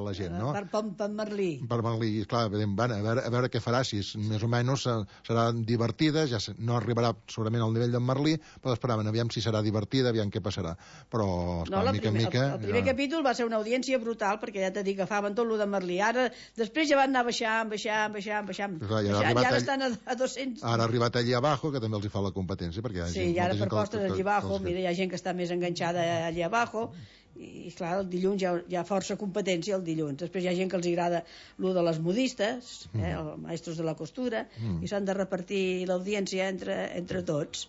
la gent, no? Per Merlí. Per Merlí, clar, a veure què farà, si més o menys serà divertida, ja no arribarà segurament al nivell d'en Merlí, però esperaven, aviam si serà divertida, aviam què passarà. Però, esclar, mica en mica... El primer capítol va ser una audiència brutal, perquè ja t'he dit que agafaven tot lo de Merlí. Ara, després ja van anar baixant. Ja estan a 200... Ara ha arribat allí abajo, que també els hi fa la competència, perquè hi ha gent... Sí, ara per postres allí abajo, mira, hi ha gent que està més enganxada allí abajo, i clar, el dilluns hi ha força competència el dilluns. Després hi ha gent que els agrada lo de les modistes, els maestros de la costura, i s'han de repartir l'audiència entre tots.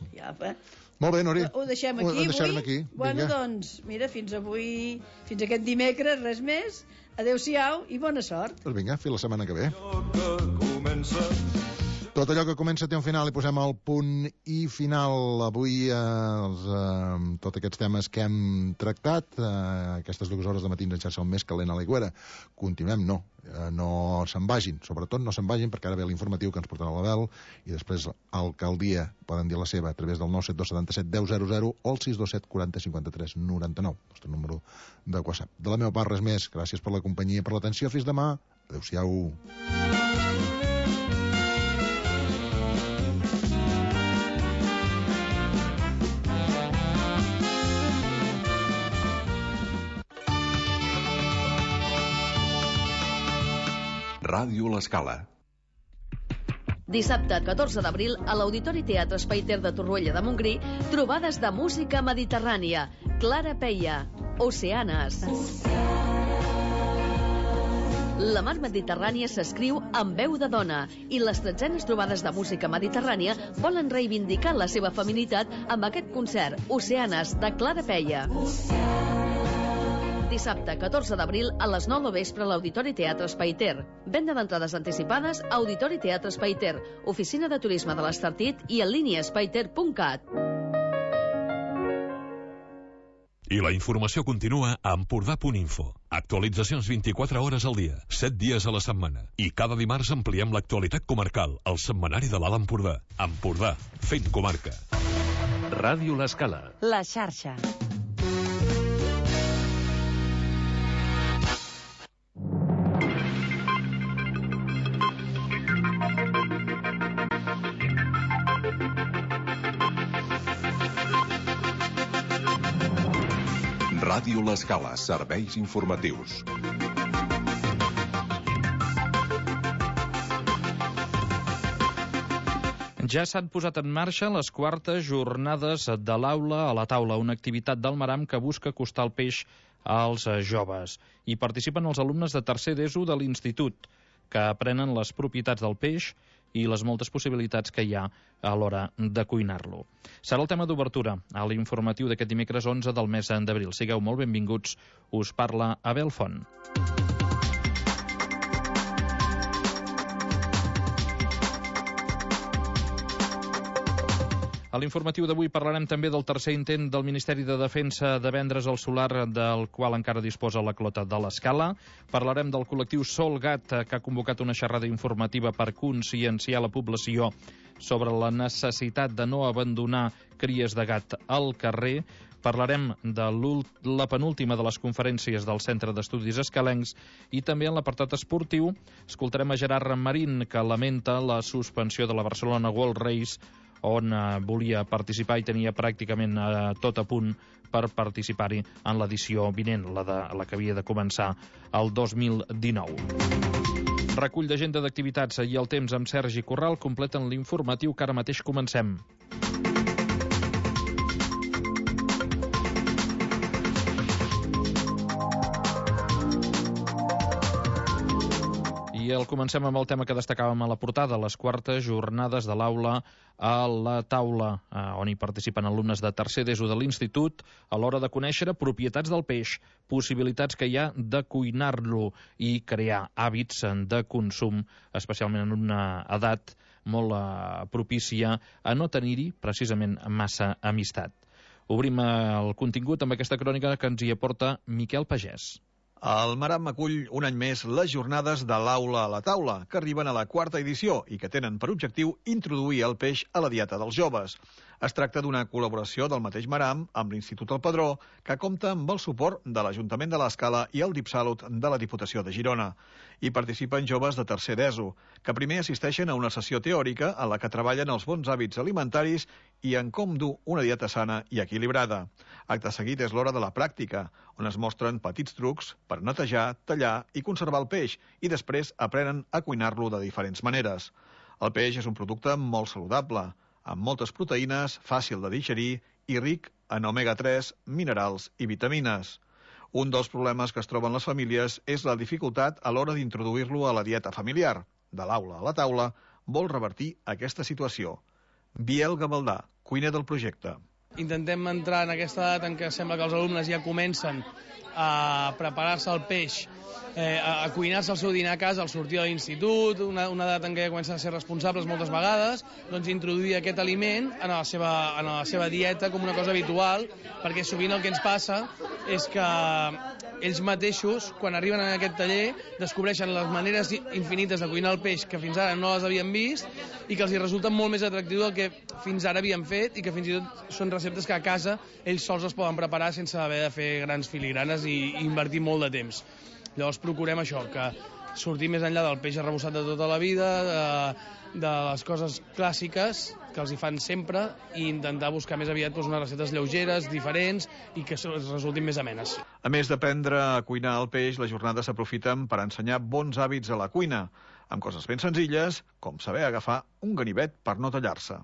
Molt bé, Nori. Ho deixem aquí avui. Bueno, doncs, mira, fins aquest dimecres, res més. Adéu-siau i bona sort. Doncs vinga, fins la setmana que ve. Tot allò que comença té un final i posem el punt i final. Avui tots aquests temes que hem tractat, aquestes 2 hores de matí en xarxa el més calent a l'Aigüera. Continuem, no se'n vagin, sobretot no se'n vagin, perquè ara ve l'informatiu que ens portarà l'Abel, i després l'alcaldia poden dir la seva a través del 97277 1000 o el 627 40 53 99, el nostre número de WhatsApp. De la meva part res més, gràcies per la companyia i per l'atenció, fins demà, adeu-siau. Ràdio L'Escala. Dissabte 14 d'abril a l'Auditori Teatre Espai-Ter de Torroella de Montgrí, trobades de música mediterrània. Clara Peia, Oceanes. La mar Mediterrània s'escriu amb veu de dona i les 13enes trobades de música mediterrània volen reivindicar la seva feminitat amb aquest concert, Oceanes, de Clara Peia. Dissabte 14 d'abril a les 9 del vespre a l'Auditori Teatre Espai-Ter. Venda d'entrades anticipades a Auditori Teatre Espai-Ter, Oficina de Turisme de l'Estartit i en línia espaiter.cat. I la informació continua a Empordà.info. Actualitzacions 24 hores al dia, 7 dies a la setmana. I cada dimarts ampliem l'actualitat comarcal, al setmanari de l'Alt Empordà. Empordà, fent comarca. Ràdio L'Escala. La xarxa. Ràdio L'Escala, serveis informatius. Ja s'han posat en marxa les quartes jornades de l'aula a la taula, una activitat del Maram que busca acostar el peix als joves. Hi participen els alumnes de tercer d'ESO de l'Institut, que aprenen les propietats del peix i les moltes possibilitats que hi ha a l'hora de cuinar-lo. Serà el tema d'obertura a l'informatiu d'aquest dimecres 11 del mes d'abril. Sigueu molt benvinguts. Us parla Abel Font. A l'informatiu d'avui parlarem també del tercer intent del Ministeri de Defensa de vendre's el solar del qual encara disposa la Clota de l'Escala. Parlarem del col·lectiu Solgat, que ha convocat una xerrada informativa per conscienciar la població sobre la necessitat de no abandonar cries de gat al carrer. Parlarem de la penúltima de les conferències del Centre d'Estudis Escalencs i també en l'apartat esportiu escoltarem a Gerard Marín, que lamenta la suspensió de la Barcelona World Race, on volia participar i tenia pràcticament tot a punt per participar-hi en l'edició vinent, la que havia de començar el 2019. Recull d'agenda d'activitats i el temps amb Sergi Corral completen l'informatiu que ara mateix comencem. I comencem amb el tema que destacàvem a la portada, les quartes jornades de l'aula a la taula, on hi participen alumnes de tercer d'ESO de l'Institut a l'hora de conèixer propietats del peix, possibilitats que hi ha de cuinar-lo i crear hàbits de consum, especialment en una edat molt propícia a no tenir-hi precisament massa amistat. Obrim el contingut amb aquesta crònica que ens hi aporta Miquel Pagès. El Maram acull un any més les jornades de l'aula a la taula, que arriben a la quarta edició i que tenen per objectiu introduir el peix a la dieta dels joves. Es tracta d'una col·laboració del mateix Maram amb l'Institut El Padró, que compta amb el suport de l'Ajuntament de l'Escala i el DipSalut de la Diputació de Girona. Hi participen joves de tercer d'ESO, que primer assisteixen a una sessió teòrica en la que treballen els bons hàbits alimentaris i en com dur una dieta sana i equilibrada. Acte seguit és l'hora de la pràctica, on es mostren petits trucs per netejar, tallar i conservar el peix, i després aprenen a cuinar-lo de diferents maneres. El peix és un producte molt saludable, amb moltes proteïnes, fàcil de digerir i ric en omega-3, minerals i vitamines. Un dels problemes que es troben les famílies és la dificultat a l'hora d'introduir-lo a la dieta familiar. De l'aula a la taula, vol revertir aquesta situació. Biel Gavaldà, cuiner del projecte. Intentem entrar en aquesta edat en què sembla que els alumnes ja comencen a preparar-se el peix, a cuinar-se el seu dinar a casa al sortir de l'institut, una edat en què ja comencen a ser responsables moltes vegades, doncs introduir aquest aliment en la seva dieta com una cosa habitual, perquè sovint el que ens passa és que ells mateixos, quan arriben a aquest taller, descobreixen les maneres infinites de cuinar el peix que fins ara no les havien vist i que els hi resulta molt més atractiu del que fins ara havien fet, i que fins i tot són receptes que a casa ells sols es poden preparar sense haver de fer grans filigranes i invertir molt de temps. Llavors procurem això, que sortir més enllà del peix arrebossat de tota la vida, de les coses clàssiques que els hi fan sempre, i intentar buscar més aviat unes receptes lleugeres, diferents i que resultin més amenes. A més d'aprendre a cuinar el peix, les jornades s'aprofiten per ensenyar bons hàbits a la cuina, amb coses ben senzilles, com saber agafar un ganivet per no tallar-se.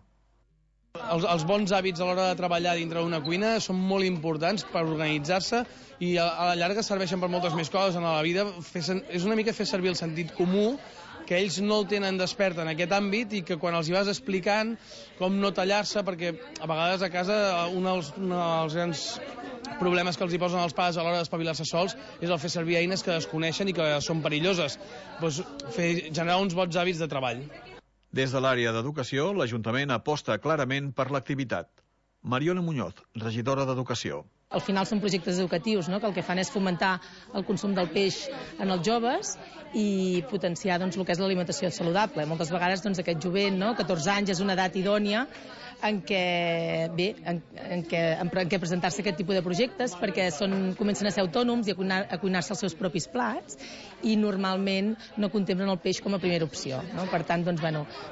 Els bons hàbits a l'hora de treballar dintre d'una cuina són molt importants per organitzar-se i a la llarga serveixen per moltes més coses en la vida. És una mica fer servir el sentit comú, que ells no el tenen despert en aquest àmbit, i que quan els hi vas explicant com no tallar-se, perquè a vegades a casa un dels grans problemes que els hi posen els pares a l'hora d'espavilar-se sols és el fer servir eines que desconeixen i que són perilloses. Doncs generar uns bons hàbits de treball. Des de l'àrea d'educació, l'Ajuntament aposta clarament per l'activitat. Mariona Muñoz, regidora d'Educació. Al final són projectes educatius, no?, que el que fan és fomentar el consum del peix en els joves i potenciar el que és l'alimentació saludable. Moltes vegades aquest jovent, 14 anys, és una edat idònia en què presentar-se aquest tipus de projectes, perquè comencen a ser autònoms i a cuinar-se els seus propis plats, i normalment no contemplen el peix com a primera opció. Per tant,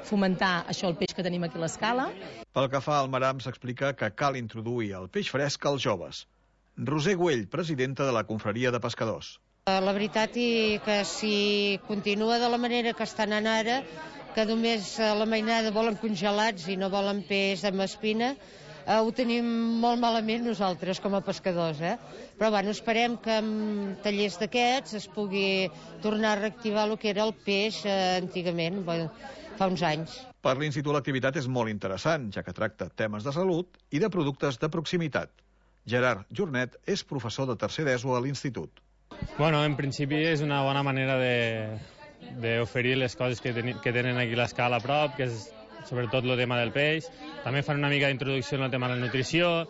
fomentar això, el peix que tenim aquí a l'Escala. Pel que fa al Maram, s'explica que cal introduir el peix fresc als joves. Roser Güell, presidenta de la Confraria de Pescadors. La veritat és que si continua de la manera que estan anant ara, que només a la mainada volen congelats i no volen peix amb espina, ho tenim molt malament nosaltres com a pescadors. Però esperem que amb tallers d'aquests es pugui tornar a reactivar el que era el peix antigament, fa uns anys. Per l'Institut l'activitat és molt interessant, ja que tracta temes de salut i de productes de proximitat. Gerard Jornet és professor de tercer d'ESO a l'Institut. En principi és una bona manera d'oferir les coses que tenen aquí a l'Escala a prop, que és sobretot el tema del peix. També fan una mica d'introducció en el tema de la nutrició.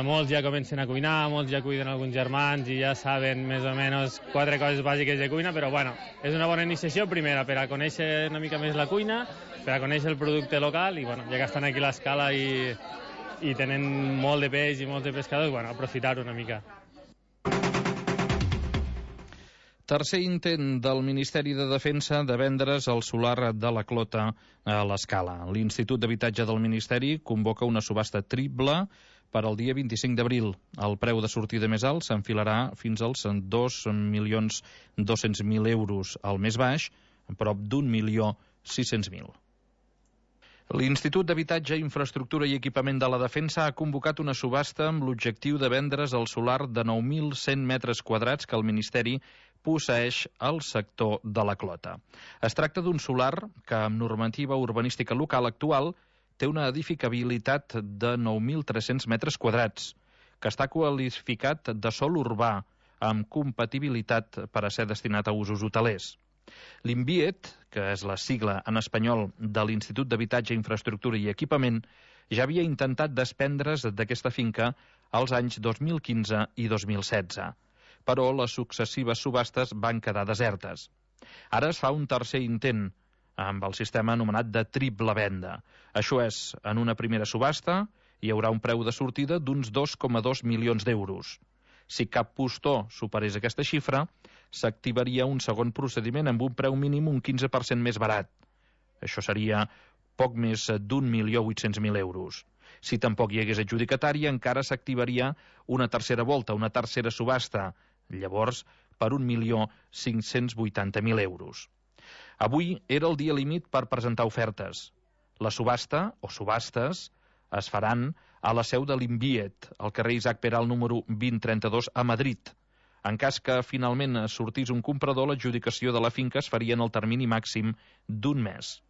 Molts ja comencen a cuinar, molts ja cuiden alguns germans i ja saben més o menys 4 coses bàsiques de cuina, però és una bona iniciació, primera, per a conèixer una mica més la cuina, per a conèixer el producte local, i ja que estan aquí a l'Escala i tenen molt de peix i molts de pescadors, aprofitar-ho una mica. Tercer intent del Ministeri de Defensa de vendre's el solar de la Clota a l'Escala. L'Institut d'Habitatge del Ministeri convoca una subhasta triple per al dia 25 d'abril. El preu de sortida més alt s'enfilarà fins als 2.200.000 euros. El més baix, a prop d'1.600.000. L'Institut d'Habitatge, Infraestructura i Equipament de la Defensa ha convocat una subhasta amb l'objectiu de vendre's el solar de 9.100 metres quadrats que el Ministeri posseeix al sector de la Clota. Es tracta d'un solar que, amb normativa urbanística local actual, té una edificabilitat de 9.300 metres quadrats, que està qualificat de sòl urbà, amb compatibilitat per a ser destinat a usos hotelers. L'INVIET, que és la sigla en espanyol de l'Institut d'Habitatge, Infraestructura i Equipament, ja havia intentat desprendre's d'aquesta finca als anys 2015 i 2016, però les successives subhastes van quedar desertes. Ara es fa un tercer intent, amb el sistema anomenat de triple venda. Això és, en una primera subhasta hi haurà un preu de sortida d'uns 2,2 milions d'euros. Si cap postor superés aquesta xifra, s'activaria un segon procediment amb un preu mínim un 15% més barat. Això seria poc més d'1.800.000 euros. Si tampoc hi hagués adjudicatari, encara s'activaria una tercera volta, una tercera subhasta, llavors per 1.580.000 euros. Avui era el dia límit per presentar ofertes. La subhasta, o subhastes, es faran a la seu de l'Inviet, al carrer Isaac Peral número 2032 a Madrid. En cas que finalment sortís un comprador, l'adjudicació de la finca es faria en el termini màxim d'un mes.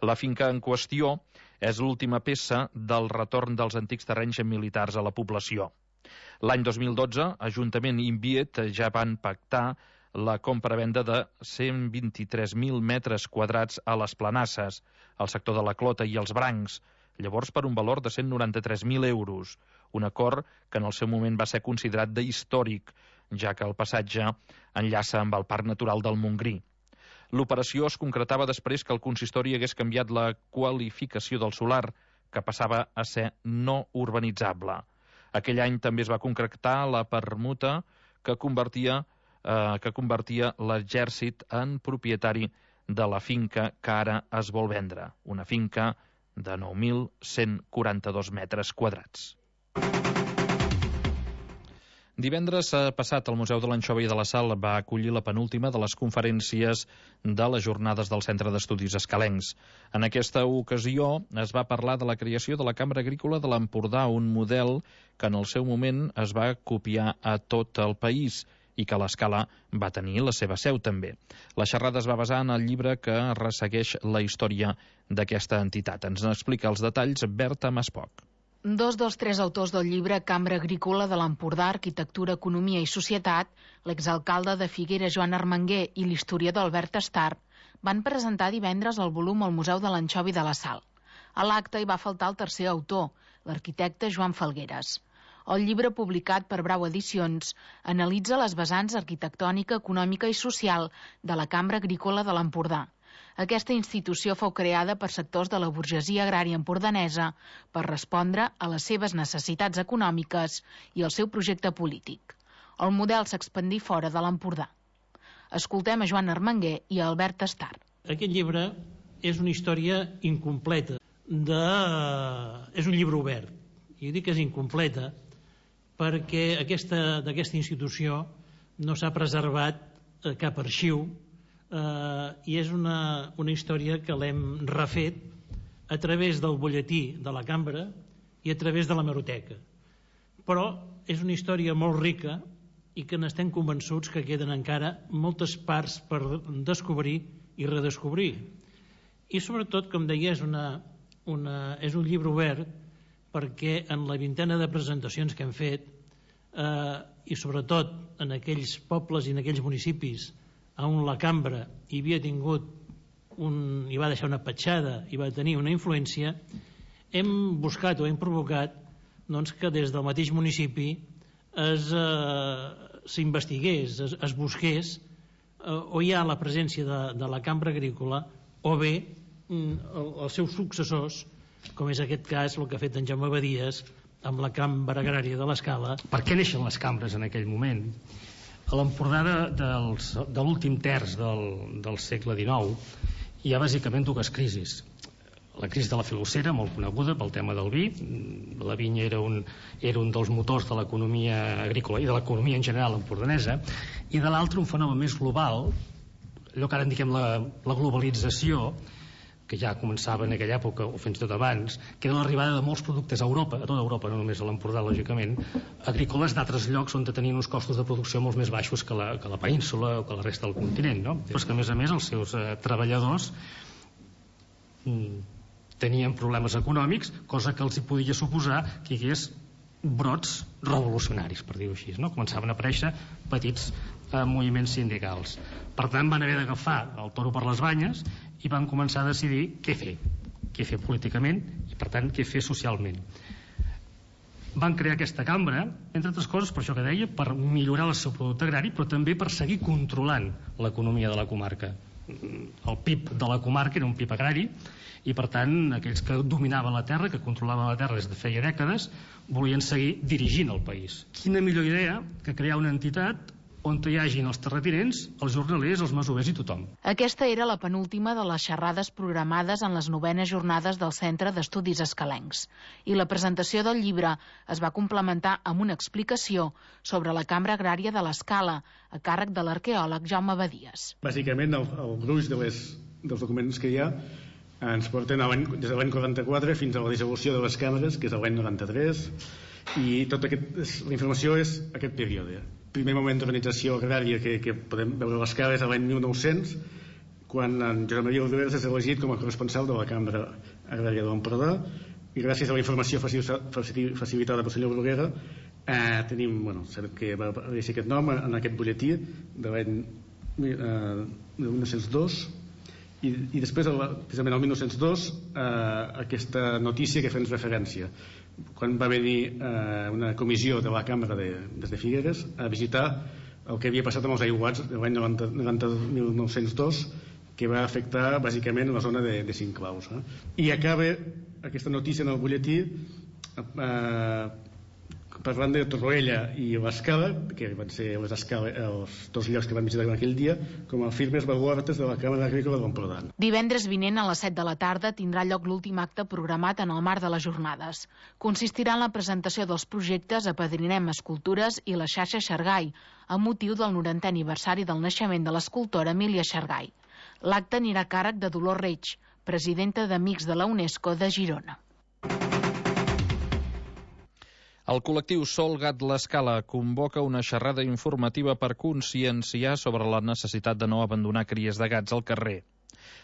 La finca en qüestió és l'última peça del retorn dels antics terrenys militars a la població. L'any 2012, Ajuntament i Inviet ja van pactar la compra-venda de 123.000 metres quadrats a les Planasses, al sector de la Clota i els Brancs, llavors per un valor de 193.000 euros, un acord que en el seu moment va ser considerat d'històric, ja que el passatge enllaça amb el Parc Natural del Montgrí. L'operació es concretava després que el consistori hagués canviat la qualificació del solar, que passava a ser no urbanitzable. Aquell any també es va concretar la permuta que convertia l'exèrcit en propietari de la finca que ara es vol vendre, una finca de 9.142 metres quadrats. Divendres passat, el Museu de l'Anxova i de la Sal va acollir la penúltima de les conferències de les jornades del Centre d'Estudis Escalencs. En aquesta ocasió es va parlar de la creació de la Cambra Agrícola de l'Empordà, un model que en el seu moment es va copiar a tot el país i que a l'Escala va tenir la seva seu també. La xerrada es va basar en el llibre que ressegueix la història d'aquesta entitat. Ens n'explica els detalls Berta Maspoc. Dos dels tres autors del llibre Cambra Agrícola de l'Empordà, Arquitectura, Economia i Societat, l'exalcalde de Figueres Joan Armenguer i l'historiador Albert Estar, van presentar divendres el volum al Museu de l'Anxova i de la Sal. A l'acte hi va faltar el tercer autor, l'arquitecte Joan Falgueres. El llibre, publicat per Brau Edicions, analitza les vessants arquitectònica, econòmica i social de la Cambra Agrícola de l'Empordà. Aquesta institució fou creada per sectors de la burgesia agrària empordanesa per respondre a les seves necessitats econòmiques i al seu projecte polític. El model s'expandí fora de l'Empordà. Escoltem a Joan Armenguer i a Albert Estar. Aquest llibre és una història incompleta. És un llibre obert. I dic que és incompleta perquè d'aquesta institució no s'ha preservat cap arxiu i és una història que l'hem refet a través del butlletí de la cambra i a través de l'hemeroteca. Però és una història molt rica i que n'estem convençuts que queden encara moltes parts per descobrir i redescobrir. I sobretot, com deia, és un llibre obert perquè en la vintena de presentacions que hem fet i sobretot en aquells pobles i en aquells municipis on la cambra hi havia tingut hi va deixar una petjada, hi va tenir una influència, hem buscat o hem provocat que des del mateix municipi s'investigués, es busqués o hi ha la presència de la cambra agrícola o bé els seus successors, com és aquest cas el que ha fet en Jaume Badies amb la cambra agrària de l'Escala. Per què neixen les cambres en aquell moment? A l'Empordà de l'últim terç del segle XIX hi ha bàsicament dues crisis. La crisi de la filocera, molt coneguda pel tema del vi. La vinya era un dels motors de l'economia agrícola i de l'economia en general empordanesa, i de l'altre un fenomen més global, allò que ara en diguem la globalització, que ja començava en aquella època o fins i tot abans, que era l'arribada de molts productes a Europa, a tota Europa, no només a l'Empordà, lògicament, agrícoles d'altres llocs on tenien uns costos de producció molt més baixos que la península o que la resta del continent, no? Però és que, a més, els seus treballadors tenien problemes econòmics, cosa que els hi podia suposar que hi hagués brots revolucionaris, per dir-ho així, no? Començaven a aparèixer petits moviments sindicals. Per tant, van haver d'agafar el toro per les banyes i van començar a decidir què fer políticament i, per tant, què fer socialment. Van crear aquesta cambra, entre altres coses, per això que deia, per millorar el seu producte agrari, però també per seguir controlant l'economia de la comarca. el PIB de la comarca era un PIB agrari, i per tant aquells que dominaven la terra, que controlaven la terra des de feia dècades, volien seguir dirigint el país. Quina millor idea que crear una entitat on hi hagin els terratinents, els jornalers, els masovers i tothom. Aquesta era la penúltima de les xerrades programades en les 9enes jornades del Centre d'Estudis Escalencs. I la presentació del llibre es va complementar amb una explicació sobre la Cambra Agrària de l'Escala, a càrrec de l'arqueòleg Jaume Badies. Bàsicament, el gruix dels documents que hi ha ens porten des de l'any 44 fins a la dissolució de les càmeres, que és l'any 93, i tota la informació és aquest període. El primer moment d'organització agrària que podem veure a l'escala és l'any 1900, quan en Josep Maria Oliveres és elegit com a corresponsal de la Cambra Agrària de l'Empordà, i gràcies a la informació facilitada pel senyor Bruguera tenim, sabem que va aparèixer aquest nom en aquest butlletí de l'any 1902, i després, precisament el 1902, aquesta notícia que fem referència, quan va venir una comissió de la Cambra des de Figueres a visitar el que havia passat amb els aiguats de l'any 1902, que va afectar bàsicament la zona de Sinclaus. I acaba aquesta notícia en el butlletí parlant de Torroella i l'Escala, que van ser els dos llocs que van visitar en aquell dia, com a firmes baluartes de la Càmera Agrícola de l'Empordà. Divendres vinent a les 7 de la tarda tindrà lloc l'últim acte programat en el marc de les jornades. Consistirà en la presentació dels projectes Apadrinem Escultures i la xarxa Xargai, amb motiu del 90è aniversari del naixement de l'escultora Emília Xargai. L'acte anirà a càrrec de Dolors Reig, presidenta d'Amics de la UNESCO de Girona. El col·lectiu Sol Gat l'Escala convoca una xerrada informativa per conscienciar sobre la necessitat de no abandonar cries de gats al carrer.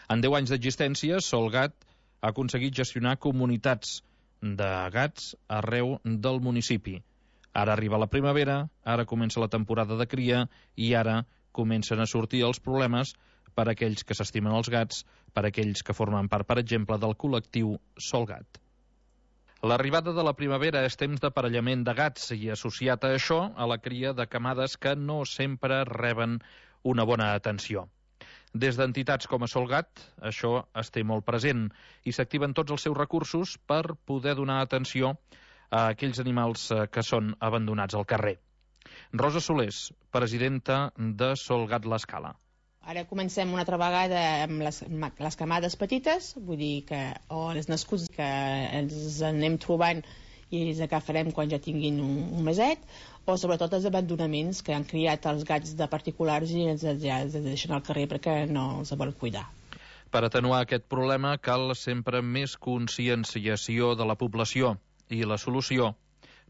En 10 anys d'existència, Sol Gat ha aconseguit gestionar comunitats de gats arreu del municipi. Ara arriba la primavera, ara comença la temporada de cria i ara comencen a sortir els problemes per a aquells que s'estimen els gats, per a aquells que formen part, per exemple, del col·lectiu Sol Gat. L'arribada de la primavera és temps d'aparellament de gats i, associat a això, a la cria de camades que no sempre reben una bona atenció. Des d'entitats com a Sol Gat, això es té molt present i s'activen tots els seus recursos per poder donar atenció a aquells animals que són abandonats al carrer. Rosa Solés, presidenta de Sol Gat l'Escala. Ara comencem una altra vegada amb les camades petites, vull dir que o els nascuts que ens anem trobant i els agafarem quan ja tinguin un meset, o sobretot els abandonaments que han criat els gats de particulars i els deixen al carrer perquè no els volen cuidar. Per atenuar aquest problema cal sempre més conscienciació de la població i la solució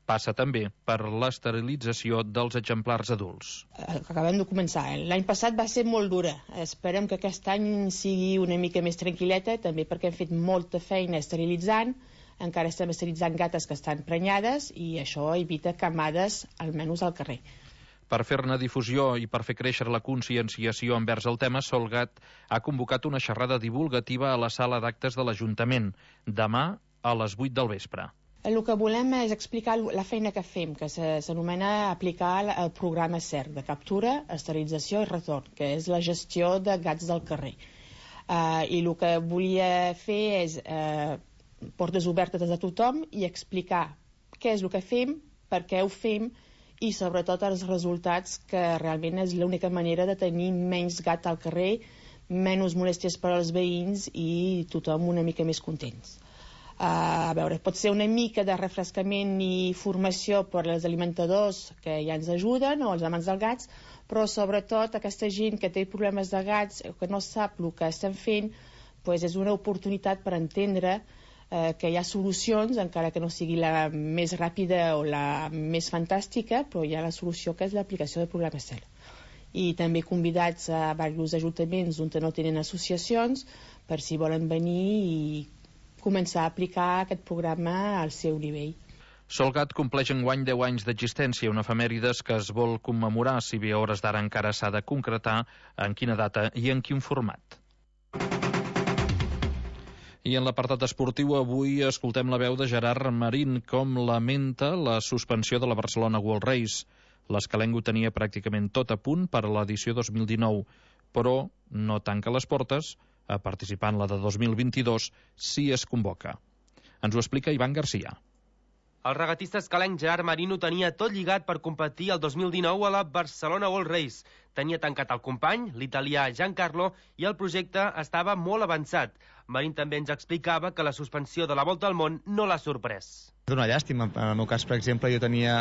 passa també per l'esterilització dels exemplars adults. Acabem de començar. L'any passat va ser molt dura. Esperem que aquest any sigui una mica més tranquil·leta, també perquè hem fet molta feina esterilitzant. Encara estem esterilitzant gates que estan prenyades i això evita camades, almenys al carrer. Per fer-ne difusió i per fer créixer la conscienciació envers el tema, Sol Gat ha convocat una xerrada divulgativa a la sala d'actes de l'Ajuntament, demà a les 8 del vespre. El que volem és explicar la feina que fem, que s'anomena aplicar el programa CERC, de captura, esterilització i retorn, que és la gestió de gats del carrer. I el que volia fer és portes obertes a tothom i explicar què és el que fem, per què ho fem i sobretot els resultats, que realment és l'única manera de tenir menys gat al carrer, menys molèsties per als veïns i tothom una mica més contents. A veure, pot ser una mica de refrescament i formació per als alimentadors que ja ens ajuden o els amants dels gats, però sobretot aquesta gent que té problemes de gats o que no sap el que estem fent, doncs és una oportunitat per entendre que hi ha solucions, encara que no sigui la més ràpida o la més fantàstica, però hi ha la solució que és l'aplicació del programa CERC. I també convidats a diversos ajuntaments on no tenen associacions per si volen venir i començar a aplicar aquest programa al seu nivell. Sol Gat compleix enguany 10 anys d'existència, una efemèrides que es vol commemorar, si bé a hores d'ara encara s'ha de concretar en quina data i en quin format. I en l'apartat esportiu avui escoltem la veu de Gerard Marín, com lamenta la suspensió de la Barcelona World Race. L'escalenc ho tenia pràcticament tot a punt per a l'edició 2019, però no tanca les portes a participar en la de 2022 si es convoca. Ens ho explica Ivan Garcia. El regatista escalenc Gerard Marino tenia tot lligat per competir el 2019 a la Barcelona World Race. Tenia tancat el company, l'italià Giancarlo, i el projecte estava molt avançat. Marín també ens explicava que la suspensió de la Volta al Món no l'ha sorprès. És una llàstima. En el meu cas, per exemple, jo tenia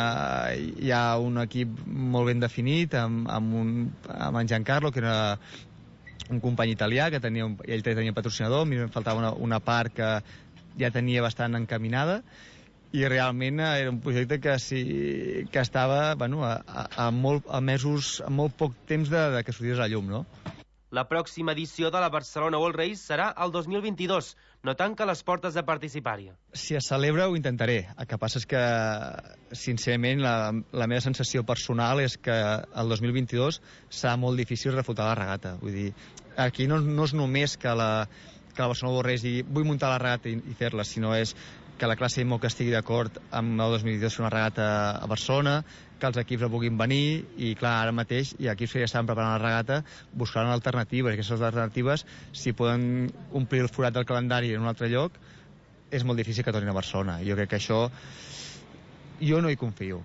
ja un equip molt ben definit amb en Giancarlo, que era un company italià, que ell tenia patrocinador, a mi em faltava una part que ja tenia bastant encaminada, i realment era un projecte que estava a molt poc temps que sortís a la llum, no? La pròxima edició de la Barcelona World Race serà el 2022. No tanca les portes de participar-hi. Si es celebra ho intentaré. El que passa és que, sincerament, la meva sensació personal és que el 2022 serà molt difícil refutar la regata. Vull dir, aquí no és només que la Barcelona World Race digui vull muntar la regata i fer-la, sinó és que la classe IMO que estigui d'acord amb el 2022 fer una regata a Barcelona, que els equips la puguin venir, i clar, ara mateix hi ha equips que ja estan preparant la regata buscant alternatives, i aquestes alternatives, si poden omplir el forat del calendari en un altre lloc, és molt difícil que tornin a Barcelona. Jo crec que això jo no hi confio.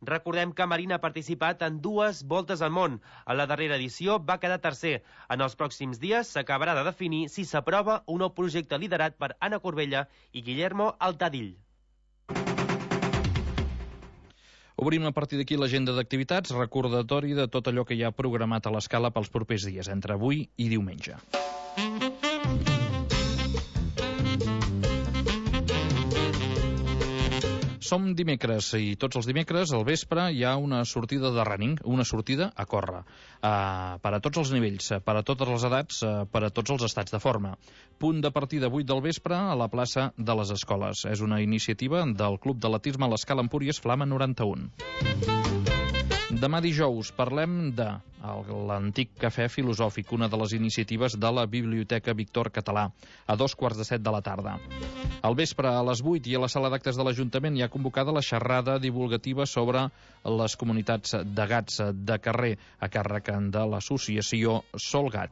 Recordem que Marín ha participat en 2 voltes al món. En la darrera edició va quedar tercer. En els pròxims dies s'acabarà de definir si s'aprova un nou projecte liderat per Anna Corbella i Guillermo Altadill. Obrim a partir d'aquí l'agenda d'activitats, recordatori de tot allò que hi ha programat a l'Escala pels propers dies, entre avui i diumenge. Som dimecres i tots els dimecres al vespre hi ha una sortida de running, una sortida a córrer, per a tots els nivells, per a totes les edats, per a tots els estats de forma. Punt de partida 8 del vespre a la plaça de les Escoles. És una iniciativa del Club d'Atletisme a l'Escala Empúries Flama 91. Demà dijous parlem de l'Antic Cafè Filosòfic, una de les iniciatives de la Biblioteca Víctor Català, a 2:45 de la tarda. Al vespre, a les 8, i a la sala d'actes de l'Ajuntament hi ha convocada la xerrada divulgativa sobre les comunitats de gats de carrer, a càrrec de l'associació Solgat.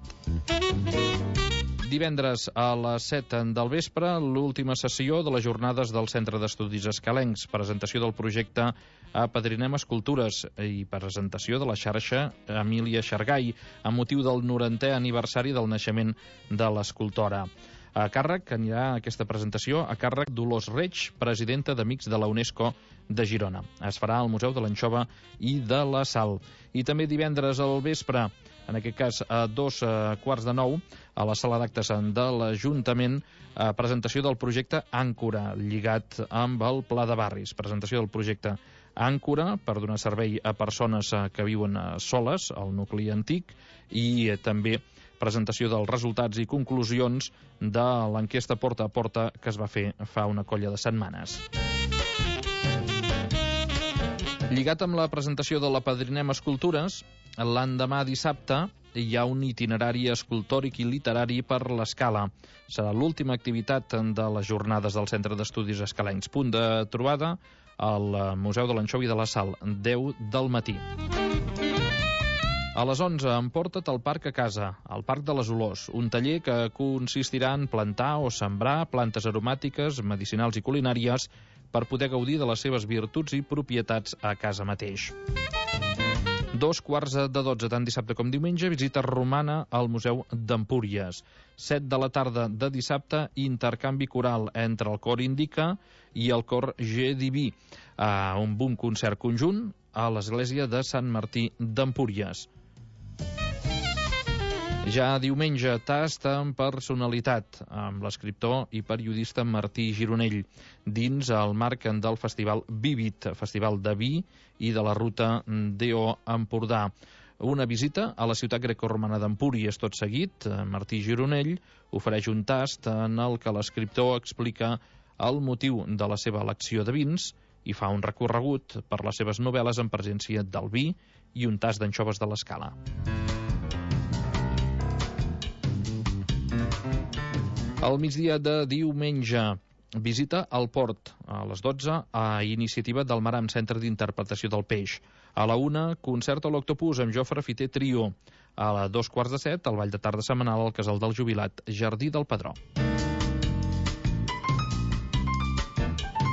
Divendres a les 7 del vespre, l'última sessió de les jornades del Centre d'Estudis Escalencs, presentació del projecte Apadrinem Escultures i presentació de la xarxa Emília Xargai, amb motiu del 90è aniversari del naixement de l'escultora. A càrrec, anirà aquesta presentació a càrrec Dolors Reig, presidenta d'Amics de la UNESCO de Girona. Es farà al Museu de l'Anxova i de la Sal. I també divendres al vespre, en aquest cas a 8:45, a la sala d'actes de l'Ajuntament, presentació del projecte Àncora, lligat amb el Pla de Barris. Presentació del projecte Àncora per donar servei a persones que viuen soles al nucli antic, i també presentació dels resultats i conclusions de l'enquesta porta a porta que es va fer fa una colla de setmanes. Lligat amb la presentació de l'Apadrinem Escultures, l'endemà dissabte hi ha un itinerari escultòric i literari per l'Escala. Serà l'última activitat de les jornades del Centre d'Estudis Escalencs. Punt de trobada al Museu de l'Anxova i de la Sal, 10 del matí. A les 11, emporta't al Parc a Casa, al Parc de les Olors, un taller que consistirà en plantar o sembrar plantes aromàtiques, medicinals i culinàries per poder gaudir de les seves virtuts i propietats a casa mateix. 11:15, tant dissabte com diumenge, visita romana al Museu d'Empúries. 7 de la tarda de dissabte, intercanvi coral entre el cor Indica i el cor G Diví, amb un concert conjunt a l'església de Sant Martí d'Empúries. Ja diumenge, tast en personalitat, amb l'escriptor i periodista Martí Gironell, dins el marc del Festival Vivit, Festival de Vi i de la Ruta DO Empordà. Una visita a la ciutat grecorromana d'Empúries. Tot seguit, Martí Gironell ofereix un tast en el que l'escriptor explica el motiu de la seva elecció de vins i fa un recorregut per les seves novel·les en presència del vi i un tast d'anxoves de l'Escala. Al migdia de diumenge, visita al port a les 12 a iniciativa del Maram, Centre d'Interpretació del Peix. A la 1, concert a l'Octopus amb Jofre Fiter Trio. A 2:15, el ball de tarda setmanal al Casal del Jubilat, Jardí del Pedró.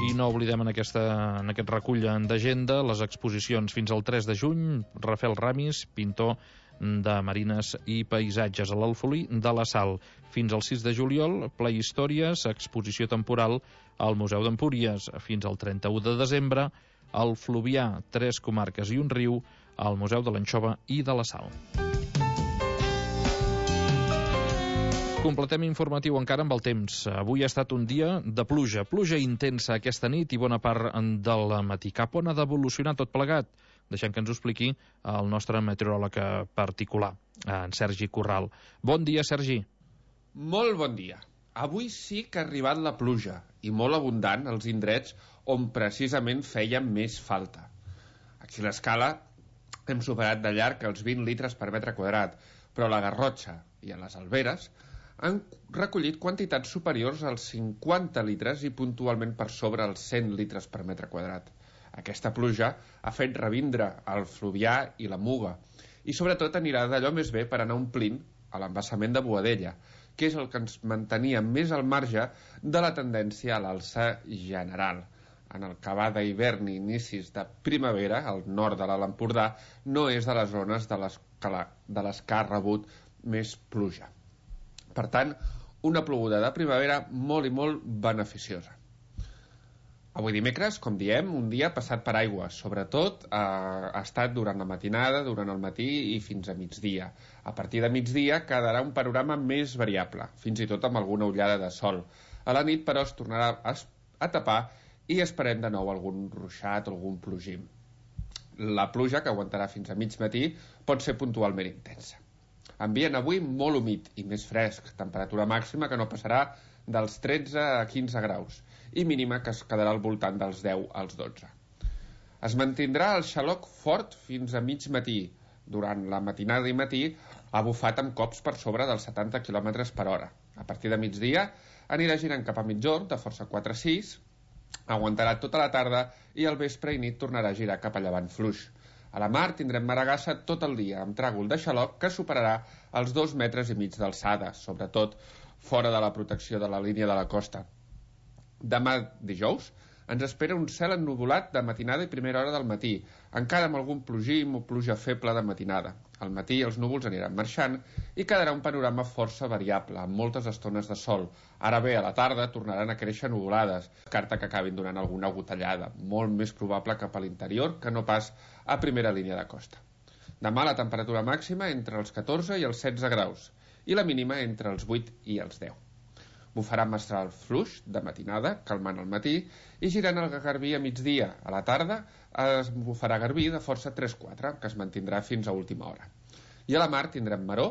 I no oblidem en aquest recull d'agenda les exposicions fins al 3 de juny. Rafael Ramis, pintor de marines i paisatges a l'Alfolí de la Sal. Fins al 6 de juliol, Ple Històries, exposició temporal al Museu d'Empúries. Fins al 31 de desembre, el Fluvià, 3 comarques i un riu, al Museu de l'Anxova i de la Sal. Completem informatiu encara amb el temps. Avui ha estat un dia de pluja. Pluja intensa aquesta nit i bona part del matí. Cap on ha d'evolucionar tot plegat? Deixem que ens ho expliqui el nostre meteoròleg particular, en Sergi Corral. Bon dia, Sergi. Molt bon dia. Avui sí que ha arribat la pluja, i molt abundant als indrets on precisament feia més falta. Aquí a l'Escala hem superat de llarg els 20 litres per metre quadrat, però a la Garrotxa i a les Alberes han recollit quantitats superiors als 50 litres i puntualment per sobre els 100 litres per metre quadrat. Aquesta pluja ha fet revindre el Fluvià i la Muga, i sobretot anirà d'allò més bé per anar omplint a l'embassament de Boadella, que és el que ens mantenia més al marge de la tendència a l'alça general. En el que va d'hivern i inicis de primavera, al nord de l'Alt Empordà, no és de les zones de les que ha rebut més pluja. Per tant, una ploguda de primavera molt i molt beneficiosa. Avui dimecres, com diem, un dia passat per aigua. Sobretot ha estat durant la matinada, durant el matí i fins a migdia. A partir de migdia quedarà un panorama més variable, fins i tot amb alguna ullada de sol. A la nit, però, es tornarà a tapar i esperem de nou algun ruixat o algun plogim. La pluja, que aguantarà fins a mig matí, pot ser puntualment intensa. Ambient avui molt humit i més fresc, temperatura màxima que no passarà dels 13 a 15 graus i mínima que es quedarà al voltant dels 10 als 12. Es mantindrà el xaloc fort fins a mig matí. Durant la matinada i matí ha bufat amb cops per sobre dels 70 km per hora. A partir de migdia anirà girant cap a mitjorn de força 4-6, aguantarà tota la tarda i al vespre i nit tornarà a girar cap a llevant fluix. A la mar tindrem maragassa tot el dia, amb tràgol de xaloc que superarà els 2,5 metres d'alçada, sobretot fora de la protecció de la línia de la costa. Demà dijous ens espera un cel ennuvolat de matinada i primera hora del matí, encara amb algun plogim o pluja feble de matinada. Al matí els núvols aniran marxant i quedarà un panorama força variable, amb moltes estones de sol. Ara bé, a la tarda tornaran a créixer nuvolades, carta que acabin donant alguna gotellada, molt més probable cap a l'interior que no pas a primera línia de costa. Demà la temperatura màxima entre els 14 i els 16 graus i la mínima entre els 8 i els 10. Bufarà mestral fluix de matinada, calmant al matí, i girant el garbí a migdia. A la tarda es bufarà garbí de força 3-4, que es mantindrà fins a última hora. I a la mar tindrem maró,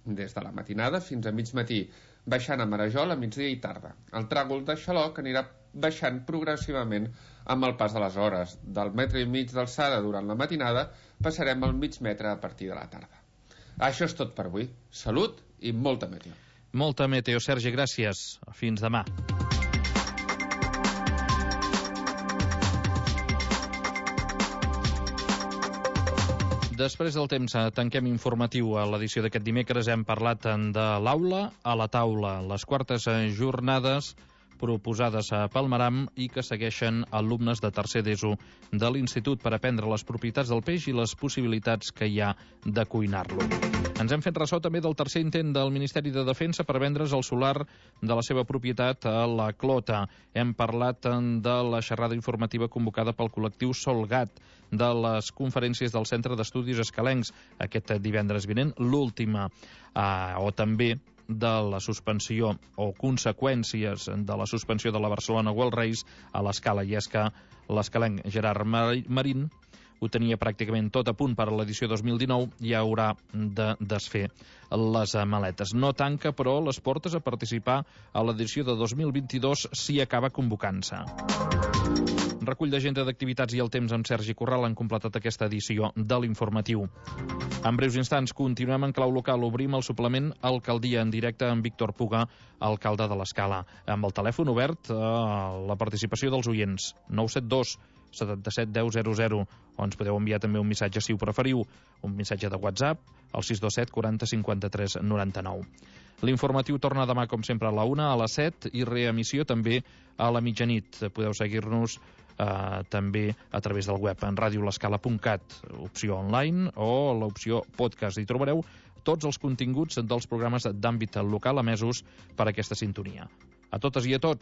des de la matinada fins a mig matí, baixant a marejol a migdia i tarda. El tràgol de xaloc anirà baixant progressivament amb el pas de les hores. Del 1,5 metre d'alçada durant la matinada passarem al mig metre a partir de la tarda. Això és tot per avui. Salut i molta meteo. Molta meteo, Sergi, gràcies. Fins demà. Després del temps, tanquem informatiu. A l'edició d'aquest dimecres hem parlat de l'aula a la taula, les quartes jornades proposades pel Maram i que segueixen alumnes de tercer d'ESO de l'Institut per aprendre les propietats del peix i les possibilitats que hi ha de cuinar-lo. Ens hem fet ressò també del tercer intent del Ministeri de Defensa per vendre's el solar de la seva propietat a la Clota. Hem parlat de la xerrada informativa convocada pel col·lectiu Solgat, de les conferències del Centre d'Estudis Escalencs aquest divendres vinent, l'última, o també de la suspensió o conseqüències de la suspensió de la Barcelona World Race a l'Escala, i és que l'escalenc Gerard Marín ho tenia pràcticament tot a punt per a l'edició 2019 i haurà de desfer les maletes. No tanca, però, les portes a participar a l'edició de 2022 si acaba convocant-se. Recull d'agenda d'activitats i el temps amb Sergi Corral han completat aquesta edició de l'informatiu. En breus instants continuem en clau local. Obrim el suplement Alcaldia en directe amb Víctor Puga, alcalde de l'Escala. Amb el telèfon obert a la participació dels oients. 972 77 10 00, o ens podeu enviar també un missatge si ho preferiu, un missatge de WhatsApp al 627 40 53 99. L'informatiu torna demà, com sempre, a la 1, a les 7, i reemissió també a la mitjanit. Podeu seguir-nos també a través del web en radiolescala.cat, opció online, o l'opció podcast. Hi trobareu tots els continguts dels programes d'àmbit local emesos per aquesta sintonia. A totes i a tots,